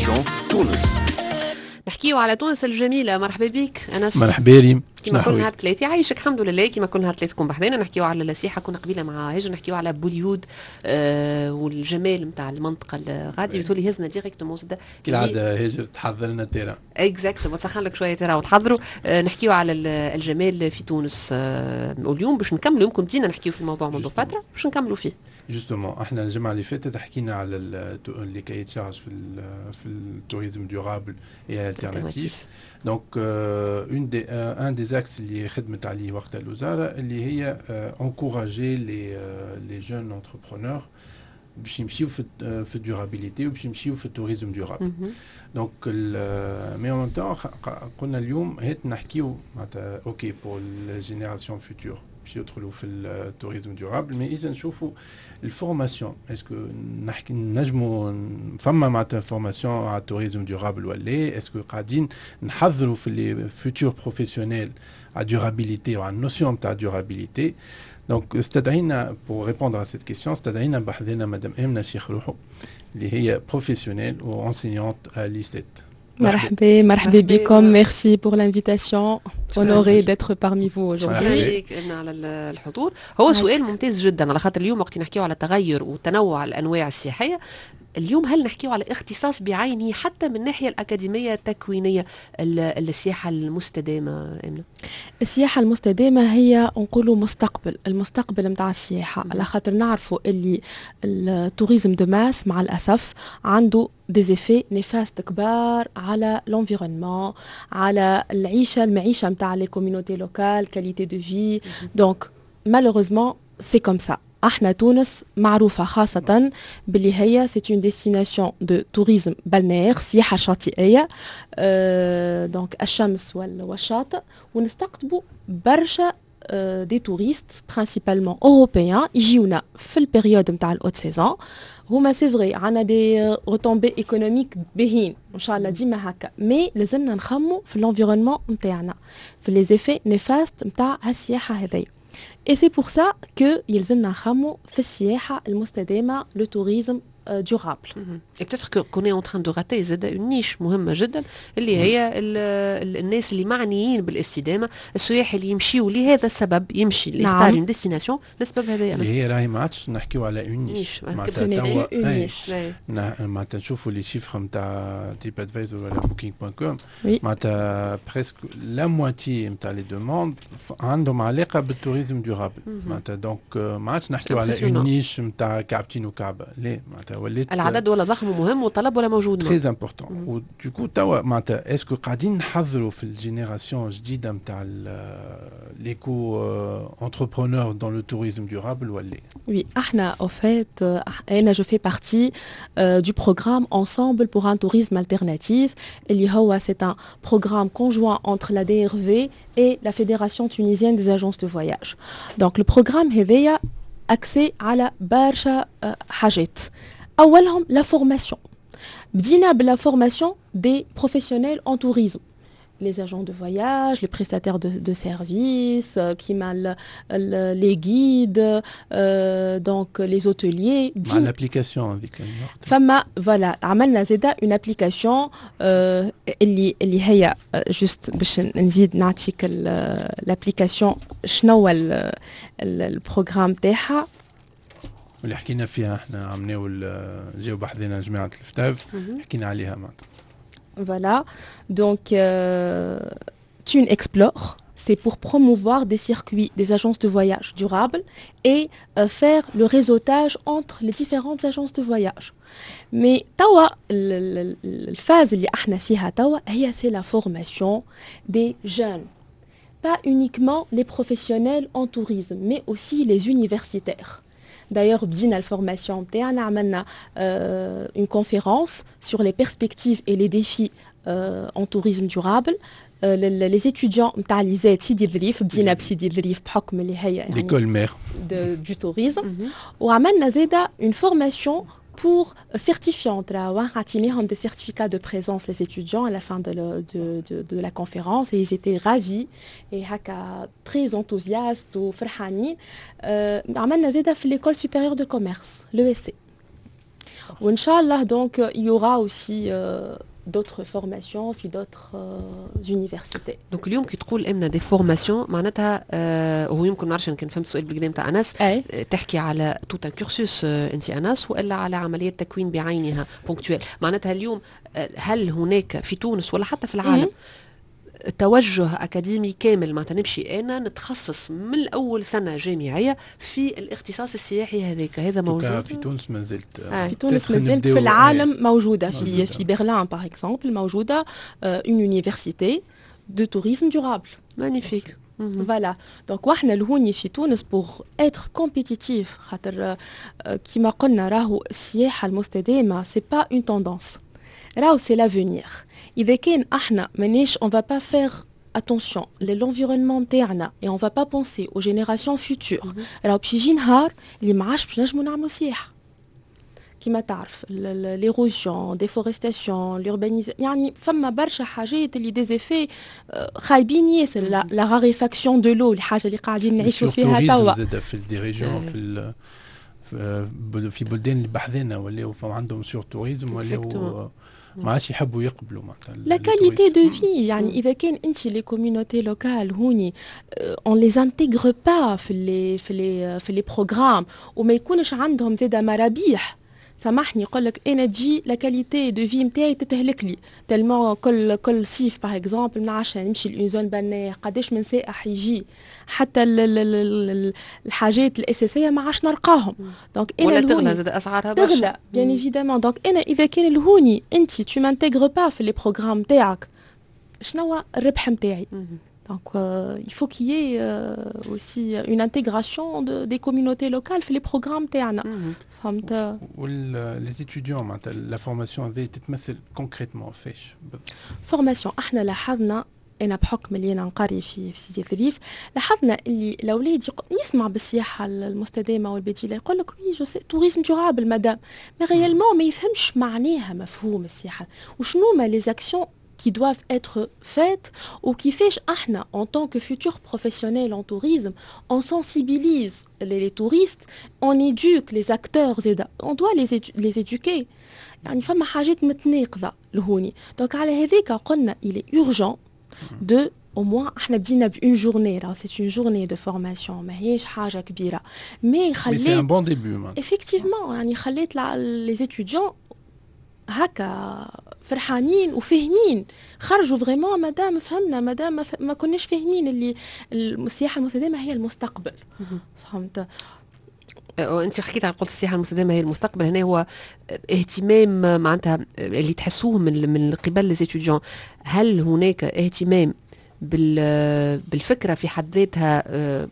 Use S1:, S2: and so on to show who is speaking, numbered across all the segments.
S1: Destination تونس.
S2: نحكيو على تونس الجميله. مرحبا بك انس.
S3: مرحبا ريم.
S2: كما كل نهار ثلاثة، يعيشك، الحمد لله. كما كل نهار ثلاثة تكون بحذانا، نحكيو على السياحة. كنا قبيلة مع هاجر نحكيو على بوليود والجمال نتاع المنطقة الغادي، وتولي هزنا directement زاد.
S3: كالعادة هاجر تحضر لنا terrain.
S2: Exactement، تسخن لك شوية terrain وتحضروا. نحكيو على الجمال في تونس، واليوم باش نكملوا، يمكن بدينا نحكيو في الموضوع منذ فترة، باش نكملوا فيه.
S3: Justement، احنا الجمعة اللي فاتت حكينا على les cahiers des charges في ال tourisme durable et alternatif. Donc un des axes اللي خدمت عليه وقت الوزارة اللي هي encourager les jeunes entrepreneurs باش يمشيو في ال durabilité وباش يمشيو في ال tourisme durable. Donc mais en même temps قلنا اليوم هات نحكيو معناتها OK pour ال générations futures باش يدخلوا في ال tourisme durable، mais اذا نشوفوا ال formation، est-ce que نحكي نجموا فما معناتها formation على ال tourisme durable ولا est-ce que قاعدين نحضروا في les futurs professionnels على durabilité وعلى ال notion تاع durabilité؟ Donc استدعينا pour répondre à cette question، استدعينا بحذنا مدام امنه شيخ روحو اللي هي professionnelle و enseignante à l'ISET.
S4: مرحبا، مرحبا بكم، merci pour l'invitation، honorée d'être parmi vous aujourd'hui.
S2: على الحضور. هو سؤال ممتاز جدا، على خاطر اليوم وقت نحكيو على تغير وتنوع الانواع السياحيه، اليوم هل نحكيو على اختصاص بعينه حتى من الناحية الاكاديمية التكوينيه، السياحة المستدامه، امنه؟
S4: السياحة المستدامة هي نقولوا مستقبل، المستقبل نتاع السياحه، على خاطر نعرفوا اللي ال tourisme de masse مع الاسف عنده des effets néfastes كبار على l'environnement، على العيشه، المعيشة نتاع les communautés locales، qualité de vie. Donc malheureusement c'est comme ça. احنا تونس معروفة خاصة باللي هي c'est une destination de tourisme balnéaire، سياحة شاطئية، donc الشمس والشاطئ، ونستقطبوا برشا des touristes principalement européens يجيونا في ال période نتاع ال haute saison. هما c'est vrai عندنا des retombées économiques باهين، ان شاء الله ديما هكا، mais لازمنا نخمو في l'environnement نتاعنا، في les effets néfastes نتاع هالسياحه هذيا. Et c'est pour ça que يلزمنا نخمو في السياحة المستدامة، le tourisme durable.
S2: Et peut-être qu'on est en train de rater زاد une niche مهمة جدا، اللي هي الناس اللي معنيين بالاستدامة، السياح اللي يمشيوا لهذا السبب، يمشي اللي يختار une destination للسبب هذا.
S3: اللي هي راهي ما عادش نحكيو على une niche.
S4: معناتها
S3: توا معناتها نشوفوا les chiffres نتاع TripAdvisor ولا Booking.com، معناتها presque la moitié نتاع les demandes عندهم علاقة بال tourisme durable. معناتها donc ما عادش نحكيو على une niche نتاع كعبتين وكعبة، لا، معناتها وليت
S2: العدد ولا ضخم ومهم والطلب ولا موجود.
S3: Très important. و du coup توا معناتها est-ce que قاعدين نحضروا في ال génération الجديدة نتاع l'éco entrepreneur dans le tourisme durable ولا؟
S4: Oui، احنا au fait انا je fais partie du programme Ensemble pour un tourisme alternatif، اللي هو c'est un programme conjoint entre la DRV et la Fédération tunisienne des agences de voyage. Donc le programme هذايا axé على برشا حاجات، اولهم la formation. بدينا ب la formation des professionnels en tourisme، les agents de voyage, les prestataires de services, كيما les guides, donc les hôteliers.
S3: مع l'application هذيك.
S4: فما voilà، عملنا زاده une application اللي هي juste باش نزيد نعطيك l'application، شنو هو ال programme تاعها.
S3: واللي حكينا فيها احنا عملناو، جاو بحذنا جماعة ال FTAV، حكينا عليها معناتها.
S4: Voilà, donc Tune Explore, c'est pour promouvoir des circuits des agences de voyage durables et faire le réseautage entre les différentes agences de voyage. Mais توا ال phase اللي احنا فيها توا هي c'est la formation des jeunes. Pas uniquement les professionnels en tourisme, mais aussi les universitaires. D'ailleurs, بدينا ال formation نتاعنا، عملنا une conférence sur les perspectives et les défis en tourisme durable. Les étudiants نتاع l'ISET سيدي الظريف، بدينا بسيدي الظريف بحكم اللي هي يعني
S3: l'école mère
S4: du tourisme. وعملنا زاده une formation pour certifiante. عطيناهم des certificats de présence les étudiants à la fin de la conférence et ils étaient ravis et هكا très enthousiastes وفرحانين. عملنا زاده في l'école supérieure de commerce، l'ESC. وان شاء الله donc il y aura aussi d'autres formations في d'autres universités.
S2: donc اليوم كي تقول امنا des formations، معناتها هو يمكن ما نعرفش كان فهمت السؤال بالقدا نتاع انس، تحكي على tout un cursus انت انس، والا على عملية تكوين بعينها ponctuelle؟ معناتها اليوم هل هناك في تونس ولا حتى في العالم توجه اكاديمي كامل، معناتها نمشي انا نتخصص من اول سنة جامعية في الاختصاص السياحي هذاك؟ هذا موجود؟
S3: في تونس ما زلت.
S4: في تونس ما زلت. في العالم موجوده، في برلين par exemple موجودة une université de tourisme durable.
S2: magnifique.
S4: voilà، donc واحنا لهوني في تونس pour être compétitif، خاطر كيما قلنا راهو السياحة المستدامة c'est pas une tendance، راهو c'est l'avenir. اذا كان احنا مانيش on va pas faire attention l'environnement نتاعنا et on va pas penser aux générations futures، راهو باش يجي نهار اللي ما عادش باش نجمو نعملو سياحه. كما تعرف l'érosion، déforestation، l'urbanisation، يعني فما برشا حاجات اللي des effets خايبين ياسر، la raréfaction de l'eau، الحاجة اللي قاعدين نعيشوا فيها توا.
S3: في des régions، في بلدان اللي بحذنا ولاو عندهم sur-tourisme، ولاو ما عادش يحبوا يقبلوا
S4: معناتها. la qualité de vie، يعني اذا كان انت les communautés locales هوني on les intègre pas في les programmes وما يكونش عندهم زاده مرابيح، سامحني، يقول لك انا تجي la qualité de vie نتاعي تتهلك لي tellement كل صيف par exemple ما نعرفش نمشي ل une zone balnéaire، قداش من سائح يجي، حتى الحاجات الاساسية ما عادش نلقاهم.
S2: donc انا ولا تغلى زاد اسعارها.
S4: تغلى bien évidemment. donc انا اذا كان الهوني انت tu m'intègres pas في les programmes تاعك، شنو الربح نتاعي؟ Donc, il faut qu'il y ait aussi une intégration des communautés locales في les programmes تاعنا. فهمت؟
S3: les étudiants، معناتها la formation هذه تتمثل concrètement فاش؟
S4: formation، احنا لاحظنا، انا بحكم اللي انا نقري في سيدي ظريف، لاحظنا اللي الاولاد يسمع بالسياحة المستدامة والبديله، يقول لك oui je sais tourisme durable madame، mais réellement ما يفهمش معناها مفهوم السياحة وشنو ما les actions qui doivent être faites وكيفاش احنا en tant que futurs professionnels en tourisme on sensibilise les touristes، on éduque les acteurs زاده، on doit les éduquer. يعني فما حاجات متناقضة لهوني. donc على هذيك قلنا il est urgent de au moins احنا بدينا ب une journée، راهو c'est une journée de formation، ماهيش حاجة كبيره، mais
S3: خليت c'est un bon début.
S4: effectivement، يعني خليت les étudiants هكا فرحانين وفاهمين، خرجوا vraiment مادام فهمنا، مادام ما كناش فاهمين اللي السياحة المستدامة هي المستقبل، فهمت؟
S2: انت حكيت على قلت السياحة المستدامة هي المستقبل، هنا هو اهتمام معناتها اللي تحسوه من قبل les étudiants، هل هناك اهتمام بالفكرة في حد ذاتها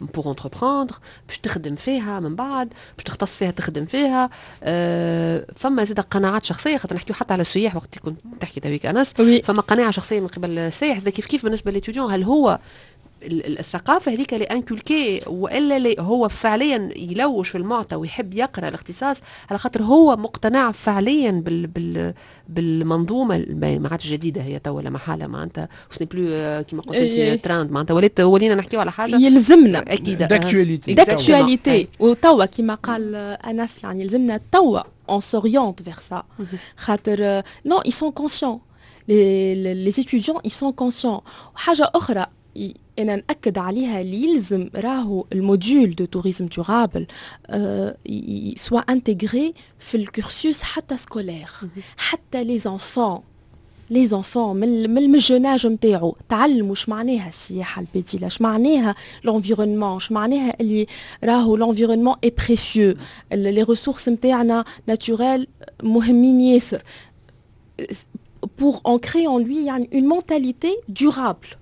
S2: pour entreprendre، باش تخدم فيها من بعد، باش تختص فيها، تخدم فيها؟ فما زاد قناعات شخصيه، خاطر نحكيو حتى على السياح وقت كنت تحكي تويك انس، فما قناعة شخصية من قبل السائح، زاد كيف كيف بالنسبة ل l'étudiant، هل هو الثقافة هذيك اللي inculquée والا اللي هو فعليا يلوش في المعطى ويحب يقرا الاختصاص على خاطر هو مقتنع فعليا بالمنظومه؟ ما عادش جديدة هي توا لا محاله، معناتها ce n'est plus كيما قلت انت ترند، معناتها ولينا نحكيو على حاجة
S4: يلزمنا.
S2: اكيد.
S3: d'actualité.
S4: d'actualité. وتوا كيما قال انس، يعني يلزمنا توا on s'oriente vers ça، خاطر non، ils sont conscients، les étudiants ils sont conscients. وحاجه اخرى انا ناكد عليها، اللي يلزم راهو ال module de tourisme durable soit intégré في ال cursus حتى scolaire، حتى les enfants من ال jeune âge نتاعو تعلموا اش معناها السياحة البديله، اش معناها l'environnement، اش معناها اللي راهو l'environnement est précieux، les ressources نتاعنا naturelles مهمين ياسر، pour ancrer en lui يعني une mentalité durable.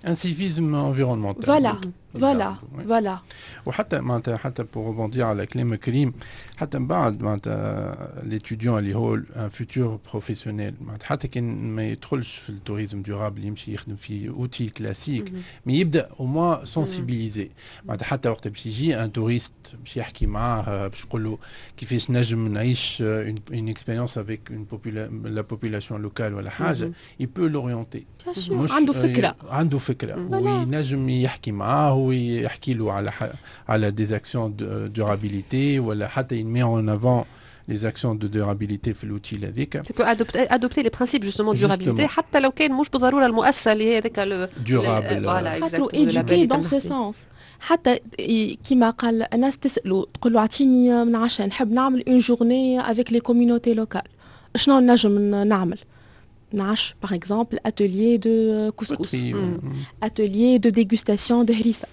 S3: un civisme environnemental.
S4: voilà.
S3: وحتى معناتها حتى pour rebondir على كلام كريم، حتى من بعد معناتها l'étudiant اللي هو un futur professionnel، معناتها حتى كان ما يدخلش في ال tourisme durable، يمشي يخدم في hôtel classique، mais يبدا au moins sensibilisé، معناتها حتى وقت باش يجي un touriste باش يحكي معاه، باش يقول له كيفاش نجم نعيش une expérience avec la population locale ولا حاجه، il peut l'orienter.
S4: عنده فكره.
S3: عنده فكرة وينجم يحكي معاه ويحكي له على des actions durabilité ولا حتى il met en avant les actions de durabilité في l'hôtel هذيك.
S2: Tu peux adopter les principes justement de durabilité حتى لو كان مش بالضرورة المؤسسة اللي هي هذاك
S3: durable.
S4: voilà، éduquer dans ce sens. حتى كيما قال الناس تسالوا، تقول له اعطيني من عشان نحب نعمل une journée avec les communautés locales، شنو نجم نعمل؟ نعش par exemple atelier de couscous، atelier de dégustation de هريسه،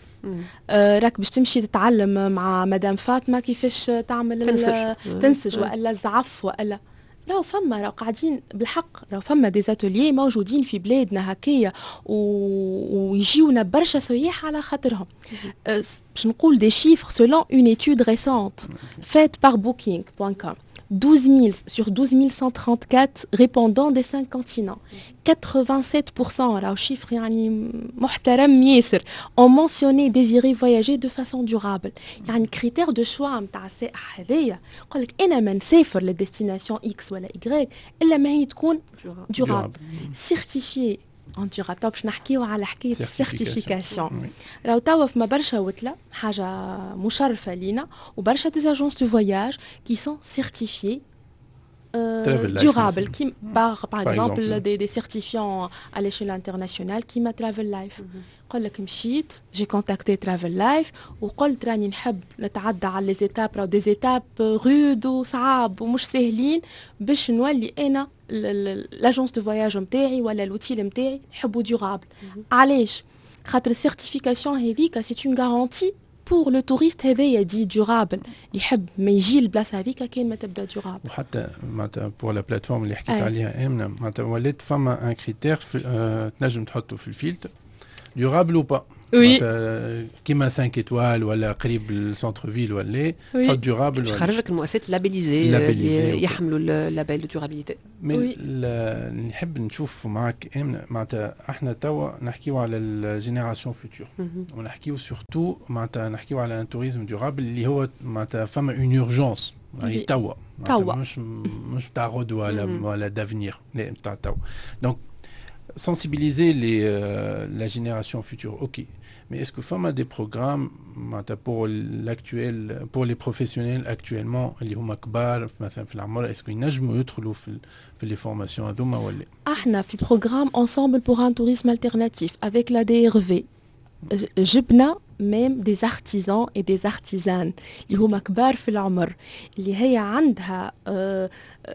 S4: راك باش تمشي تتعلم مع مدام فاطمة كيفاش تعمل
S2: تنسج.
S4: تنسج والا الزعف والا راهو فما، راهو قاعدين بالحق، راهو فما des ateliers موجودين في بلادنا هكايا ويجيونا برشا سياح على خاطرهم. باش نقول des chiffres، selon une étude récente faite par booking.com، 12 000 sur 12 134 répondants des cinq continents، 87%، راهو chiffre يعني محترم ياسر، ont mentionné désirer voyager de façon durable. يعني critère de choix نتاع السائح هذايا يقول لك انا ما نسافر لل destination X ولا Y الا ما هي تكون durable، certifiée en durable. باش نحكيو على حكاية ال certification، راهو توا فما برشا وتله، حاجة مشرفة لينا، وبرشا des agences de voyage qui sont certifiées durable qui par exemple des certifiants à l'échelle internationale كيما Travel Life. قال لك مشيت j'ai contacté Travel Life وقلت راني نحب نتعدى على les étapes، راهو des étapes rudes وصعاب ومش ساهلين، باش نولي انا l'agence de voyage نتاعي ولا l'hôtel نتاعي نحبو durable. علاش؟ خاطر ال certification هذيك c'est une garantie pour le touriste هذايا dit durable، يحب ما يجي البلاصة هذيك كان ما تبدا durable.
S3: وحتى معناتها pour la plateforme اللي حكيت عليها امنه، معناتها ولات فما un critère تنجم تحطه في ال filtre، durable ou pas.
S4: oui.
S3: كيما 5 étoiles ولا قريب ال centre-ville ولا حط durable.
S2: خرج لك المؤسسات labellisées اللي يحملوا ال label de durabilité.
S3: mais نحب نشوف معك امنه، معناتها احنا توا نحكيو على ال génération future ونحكيو surtout معناتها نحكيو على un tourisme durable اللي هو معناتها فما une urgence يعني توا
S4: توا
S3: مش تاع غدوه ولا d'avenir، لا، نتاع توا. donc sensibiliser la génération future، ok. Mais est-ce que فما des programmes pour l'actuel، pour les professionnels actuellement اللي هما كبار مثلا في العمر، est-ce que ينجموا يدخلوا في les formations هذوما ولا؟
S4: احنا في programme ensemble pour un tourisme alternatif avec la DRV جبنا même des artisans et des artisanes اللي هما كبار في العمر، اللي هي عندها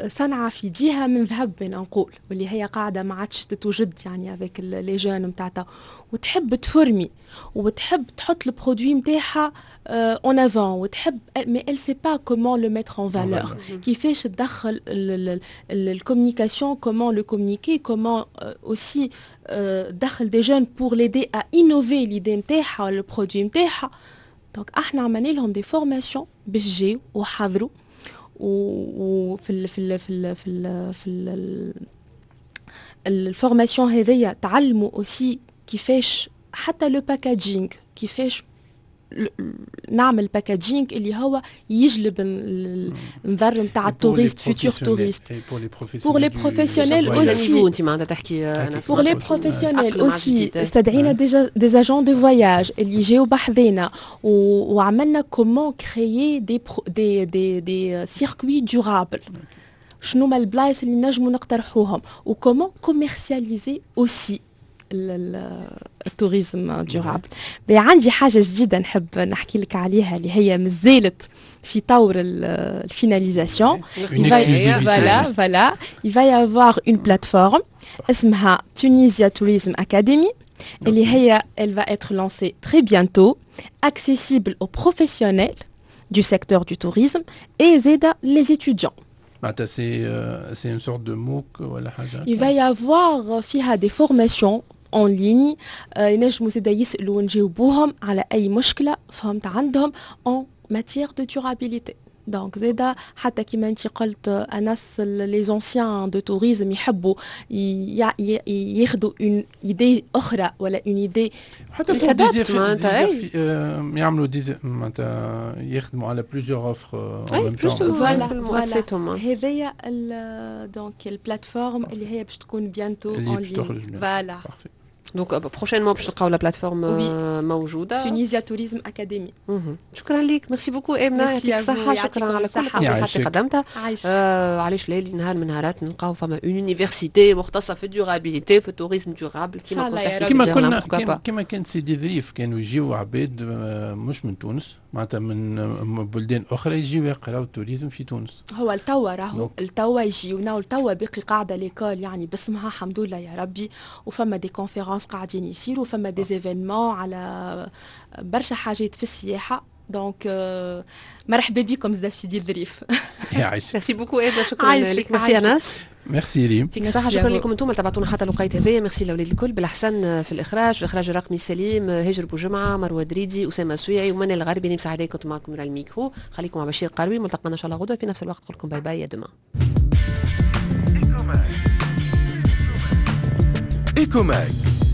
S4: صنعة في يديها من ذهب نقول، واللي هي قاعدة ما عادش تتوجد يعني avec les jeunes نتاعتها، وتحب تفرمي وتحب تحط ال produit نتاعها en avant وتحب، mais elle sait pas comment le mettre en valeur، كيفاش تدخل ال communication، comment le communiquer، comment aussi دخل des jeunes pour l'aider à innover l'idée نتاعها ولا ال produit نتاعها. donc احنا عملنا لهم des formations باش جاو وحضروا، وفي ال في ال في ال في ال في ال formation هذيا تعلموا aussi كيفاش حتى le packaging، كيفاش نعمل packaging اللي هو يجلب النظر نتاع ال touriste، futur touriste. pour les professionnels aussi.
S2: انت معناتها تحكي.
S4: pour les professionnels aussi، استدعينا déjà des agents de voyage اللي جاو بحذينا وعملنا comment créer des circuits durables، شنو ما البلايص اللي نجموا نقترحوهم، و comment commercialiser aussi ال tourisme durable. عندي حاجة جديدة نحب نحكي لك عليها اللي هي مازالت في طور ال finalisation. voilà، il va y avoir une plateforme اسمها Tunisia Tourism Academy اللي هي elle va être lancée très bientôt، accessible aux professionnels du secteur du tourisme et زاده les étudiants.
S3: c'est une sorte de MOOC ولا حاجة؟
S4: Il va y avoir فيها des formations en ligne، ينجموا زادا يسالوا ونجاوبوهم على اي مشكلة فهمت عندهم en matière de durabilité. donc زادا حتى كيما انت قلت انس، les anciens de tourisme يحبوا ياخذوا une idée اخرى ولا une idée
S3: حتى يعملوا des معناتها يخدموا على plusieurs offres.
S4: voilà، هذايا donc ال plateforme اللي هي باش تكون bientôt
S3: en ligne.
S4: voilà.
S2: donc prochainement باش تلقاو la plateforme موجودة
S4: Tunisia Tourism Academy.
S2: شكرا لك، merci beaucoup امنه، يعطيك الصحه، شكرا على كل التوضيحات اللي قدمتها. علاش لا نهار من نهارات نلقاو فما une université مختصة في ال durabilité، في ال tourisme durable؟
S3: كيما كيما كنا كيما كان سيدي ظريف، كانوا يجيو عباد مش من تونس، معناتها من بلدان اخرى، يجيو يقراو ال tourisme في تونس.
S4: هو التوا راهو التوا يجيونا، والتوا باقي قاعدة l'école يعني باسمها، الحمد لله يا ربي، وفما des conférences قاعدين يصيروا، فما des événements على برشا حاجات في السياحه، donc مرحبا بكم زاد في سيدي الظريف.
S3: يعيشك.
S2: merci beaucoup ايفا، شكرا لك، ميرسي انس.
S3: ميرسي ريم.
S2: يعطيك الصحة، شكرا لكم انتم اللي تبعتونا حتى الوقيت هذايا. ميرسي الاولاد الكل، بالحسن في الاخراج، الاخراج الرقمي سليم، هاجر بوجمعة، مروة دريدي، اسامة سويعي ومنال الغربي. نمسح عليكم، كنت معكم على الميكرو. خليكم مع بشير قروي. ملتقانا ان شاء الله غدوة في نفس الوقت. نقول لكم bye bye، à demain.
S1: Ecomag.